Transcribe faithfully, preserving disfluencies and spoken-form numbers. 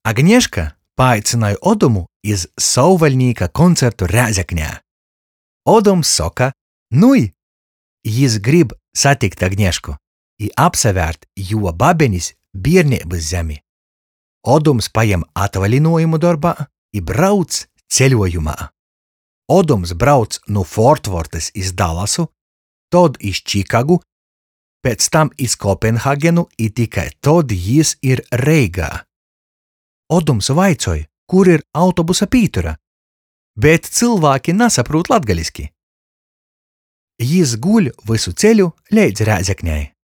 Agneška paaicynoj Odumu iz Sovvaļnīka koncertu Rēzeknē. Odums soka, nui! Jis grib satikt Agnešku i apsavērt juo babenis bierneibys zemi. Odums pajem atvalinuojumu dorbā i brauc ceļuojumā. Odums brauc nu Fortvortys iz Dallasu, tod iz Čikagu, piec tam iz Kopenhagenu i tikai tod jis ir Reigā. Odums vaicoj, kur ir autobusa pītura, bet cylvāki nasaprūt latgaliski. Jis guļ vysu ceļu leidz Rēzeknei.